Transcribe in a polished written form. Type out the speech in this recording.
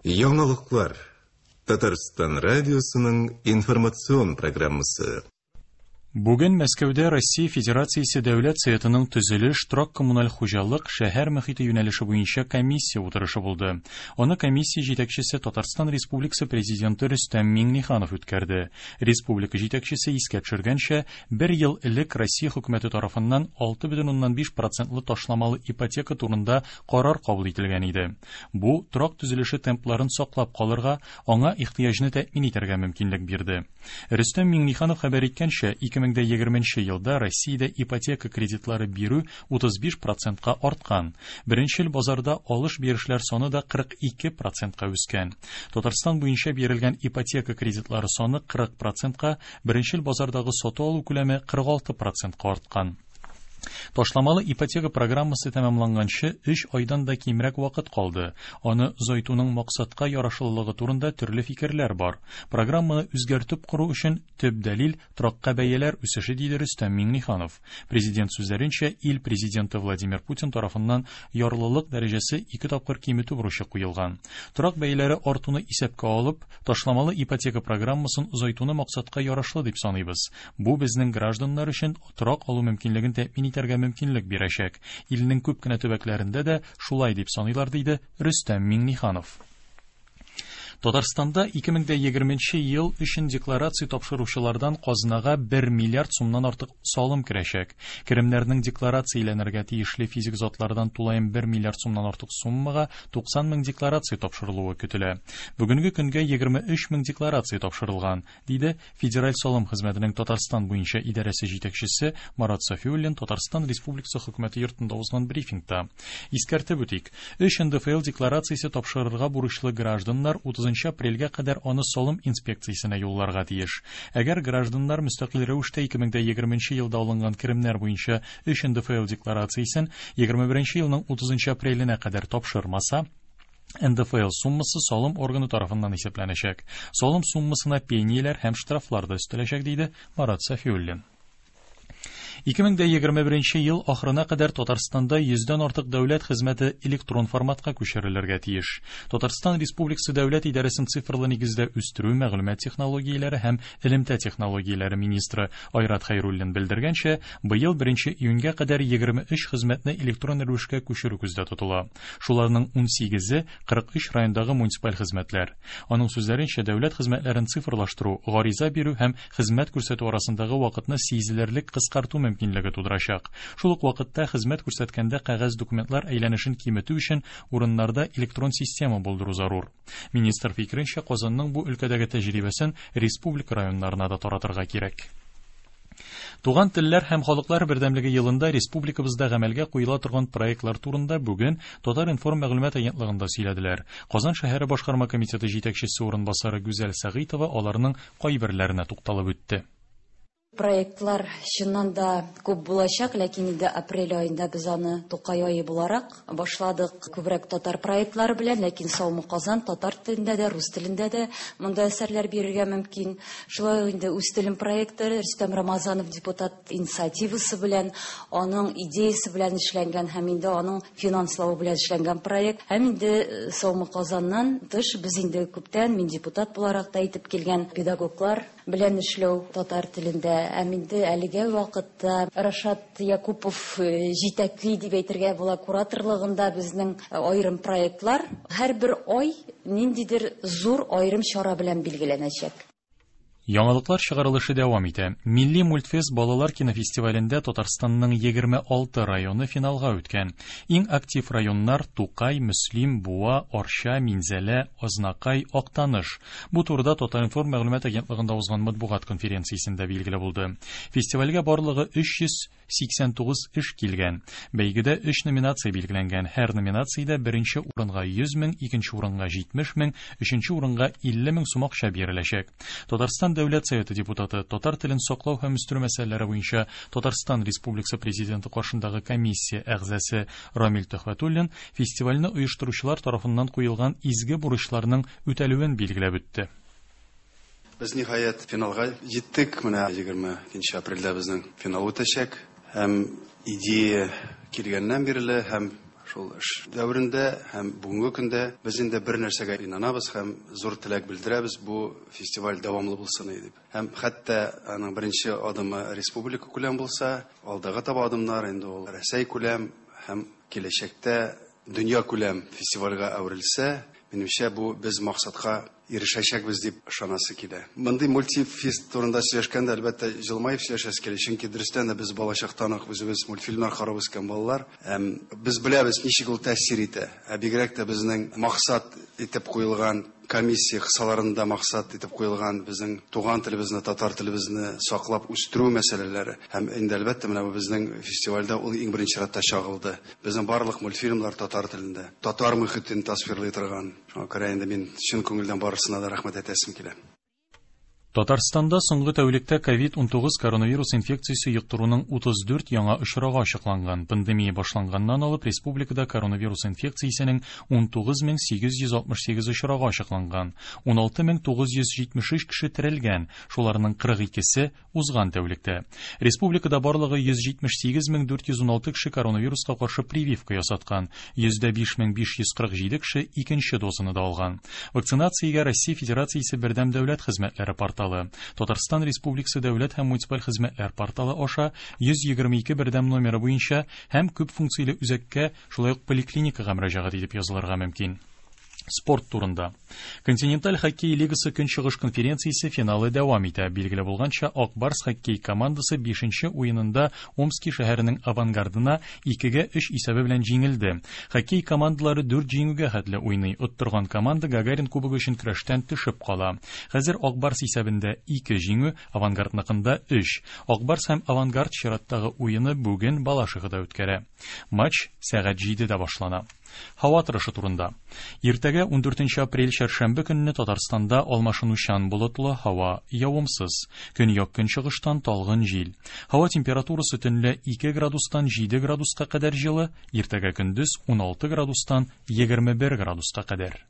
Яңалыклар. Татарстан радиосының информацион программасы. Бүген Мәскәүдә Россия Федерациясе Дәүләт Советының төзелеш, торак-коммуналь хуҗалык, шәһәр мөхите юнәлеше буенча комиссия утырышы булды. Аны комиссия җитәкчесе Татарстан Республикасы Президенты Рөстәм Миңнеханов үткәрде. Республика җитәкчесе искә төшергәнчә, бер ел элек Россия хөкүмәте тарафыннан 6,5 процентлы ташламалы ипотека турында карар кабул ителгән иде. Бу торак төзелеше темпларын саклап калырга, аңа ихтыяҗны тәэмин итәргә мөмкинлек бирде. Рөстәм Миңнеханов хәбәр иткәнчә, 2020 елда Россиядә ипотека кредитлары бирү 35 процентка арткан. Беренчел базарда алыш-бирешләр саны да 42 процентка үскән. Татарстан буенча бирелгән ипотека кредитлары саны 40 процентка, беренчел базардагы сату-алу күләме 46 процентка арткан. Ташламалы ипотека программасы тәмамланганчы 3 айдан да кимрәк вакыт калды. Аны озайтуның максатка ярашлылыгы турында төрле фикерләр бар. Программаны үзгәртеп кору өчен төп дәлил торакка бәяләр үсеше, диде Рөстәм Миңнеханов. Президент сүзләренчә, ил президенты Владимир Путин тарафыннан ярлылык дәрәҗәсе ике тапкыр киметү бурычы куелган. Торак бәяләре артуны исәпкә алып, ташламалы ипотека программасын озайтуны максатка ярашлы дип саныйбыз. Бу безнең гражданнар өчен торак алу мөмкинлеген тәэмин итәргә мөмкинлек бирәчәк. Илнең күп кенә төбәкләрендә дә шулай дип саныйлар, диде Рөстәм Миңнеханов. Татарстанда 2020 ел өчен декларация тапшыручылардан казнага 1 миллиард сумнан артык салым керәчәк. Керемнәрнең декларацияләнергә тиешле физик затлардан тулаем 1 миллиард сумнан артык суммага 90 мең декларация тапшырылуы көтелә. Бүгенге көнгә 23 мең декларация тапшырылган, диде Федераль салым хезмәтенең Татарстан буенча идарәсе җитәкчесе Марат Сафиуллин Татарстан Республикасы хөкүмәте йортында узган брифингта. Искәртеп үтик, 3 НДФЛ декларациясе тапшырырга бурычлы гражданнар 30 апрельгә кадәр аны салым инспекциясенә юлларга тиеш. Әгәр гражданнар мөстәкыйль рәвештә 2020 елда алынган керемнәр буенча 3 НДФЛ декларациясен 21 елның 30 апреленә кадәр тапшырмаса, НДФЛ суммасы салым органы тарафыннан исәпләнәчәк. Салым суммасына пенияләр һәм штрафлар да өстәләчәк, диде Марат Сафиуллин. 2021 ел ахырына кадәр Татарстанда 100дән артык дәүләт хезмәте электрон форматка күчерелергә тиеш. Татарстан Республикасы дәүләт идарәсен цифрлы нигездә үстерү, мәгълүмат технологияләре һәм элемтә технологияләре министры Айрат Хәйруллин белдергәнчә, быел 1 июньгә кадәр 23 хезмәтне электрон рәвешкә күчерү күздә тотыла. Шуларның 18-е 43 райондагы муниципаль хезмәтләр. Аның сүзләренчә, дәүләт хезмәтләрен цифрлаштыру, гариза бирү һәм хезмәт күрсәтү арасындагы вакытны сизелерлек кыскарту мөмкинлеге тудырачак. Шул ук вакытта хезмәт күрсәткәндә кәгазь документлар әйләнешен киметү өчен урыннарда электрон система булдыру зарур. Министр фикеренчә, Казанның бу өлкәдәге тәҗрибәсен республика районнарына да таратырга кирәк. Туган телләр һәм халыклар бердәмлеге елында республикабызда гамәлгә куела торган проектлар турында бүген Татар-информ мәгълүмат агентлыгында сөйләделәр. Казан шәһәре башкарма комитеты җитәкчесе урынбасары Гүзәл Сәгыйтова аларның кайберләренә тукталып үтте. Проектлар чыннан да күп булачак, ләкин инде апрель аенда без аны Тукай ае буларак башладык күбрәк татар проектлары белән, ләкин Саумы Казан татар телендә дә, рус телендә дә монда әсәрләр бирергә мөмкин. Шулай ук инде Үз телем проекты Рөстәм Рамазанов депутат инициативасы белән, аның идеясы белән эшләнгән һәм инде аның финанславы белән эшләнгән проект. Һәм инде Саумы Казаннан тыш без инде күптән, мин депутат буларак та әйтеп килгән педагоглар белән эшләү татар телендә. Һәм инде әлеге вакытта Рашат Якупов җитәкли дип әйтергә була кураторлыгында безнең аерым проектлар. Һәрбер ай ниндидер зур аерым чара белән билгеләнәчәк. Яңалыклар чыгарылышы дәвам итә. Милли мультфест балалар кинофестивалендә Татарстанның 26 районы финалга үткән. Иң актив районнар Тукай, Мөслим, Буа, Арча, Минзәлә, Азнакай, Актаныш. Бу турыда Татар-информ мәгълүмат агентлыгында узган матбугат конференциясендә билгеле булды. Фестивальгә барлыгы 389 эш килгән. Бәйгедә 3 номинация билгеләнгән. Һәр номинациядә беренче урынга 100 мең, икенче урынга 70 мең, өченче урынга 50 мең сум акча биреләчәк. Татарстан Дәүләт Советы депутаты, татар телен саклау һәм үстерү мәсьәләләре буенча Татарстан Республикасы Президенты каршындагы комиссия әгъзасы Рамил Төхвәтуллин фестивальне оештыручылар тарафыннан куелган изге бурычларның үтәлүен билгеләп үтте. Без ниһаять финалга җиттек. Менә 22 апрельдә безнең финал үтәчәк. Һәм идея килгәннән бирле һәм Шул эш дәверендә һәм бүгенге көндә без инде бер нәрсәгә инанабыз һәм зур теләк белдерәбез, бу фестиваль дәвамлы булсын дип. Һәм хәтта аның беренче адымы республика күләм булса, алдагы таба адымнар инде ул Рәсәй күләм һәм киләчәктә дөнья күләм фестивальгә әверелсә, минемчә, бу без максатка ирешәчәкбез дип ышанасы килә. Мондый мультифест турында сөйләшкәндә, әлбәттә, җылмаеп сөйләшәсе килә, чөнки дөрестән дә без балачактан ук үзебез мультфильмнар карап үскән балалар. Һәм без беләбез, ничек ул тәэсир итә. Ә бигрәк тә безнең максат итеп куелган комиссия кысаларында максат итеп куелган безнең туган телебезне, татар телебезне саклап үстерү мәсьәләләре. Һәм инде, әлбәттә, менә бу безнең фестивальдә ул иң беренче чиратта чагылды. Безнең барлык мультфильмнар татар телендә, татар мөхитен тасвирлый торган. Шуңа күрә инде мин чын күңелдән барысына да рәхмәт әйтәсем килә. Татарстанда соңгы тәүлектә ковид-19 коронавирус инфекциясе йоктыруның 34 яңа очрагы ачыкланган. Пандемия башланганнан алып республикада коронавирус инфекциясенең 19868 очрагы ачыкланган. 16973 кеше терелгән, шуларның 42-се узган тәүлектә. Республикада барлыгы 178416 кеше коронавируска каршы прививка ясаткан, 105547 кеше икенче дозаны да алган. Вакцинациягә Россия Федерациясе Бердәм дәүләт хезмәтләре порталы, Татарстан Республикасы дәүләт һәм муниципаль хезмәтләр порталы аша 122 бердәм номеры буенча һәм күп функцияле үзәккә, шулай ук поликлиникага мөрәҗәгать итеп язылырга мөмкин. Спорт турында. Континенталь хоккей лигасы Көнчыгыш конференциясе финалы дәвам итә. Билгеле булганча, Ак Барс хоккей командасы 5нче уенында Омски шәһәренең Авангардына 2-3 исәбе белән җиңелде. Хоккей командалары 4 җиңүгә хәтле уйный. Оттырган команда Гагарин кубогы өчен көрәштән төшеп кала. Хәзер Ак Барс исәбендә 2 җиңү, Авангардныкында 3. Ак Барс һәм Авангард чираттагы уены бүген Балашихада үткәрә. Матч сәгать 7-дә башлана. Һава торышы турында. Иртәгә 14 апрель чәршәмбе көнне Татарстанда алмашынучан болытлы һава, явымсыз. Көньяк көнчыгыштан талгын җил. Һава температурасы төнлә 2 градустан 7 градуска кадәр җылы, иртәгә көндез 16 градустан 21 градуска кадәр.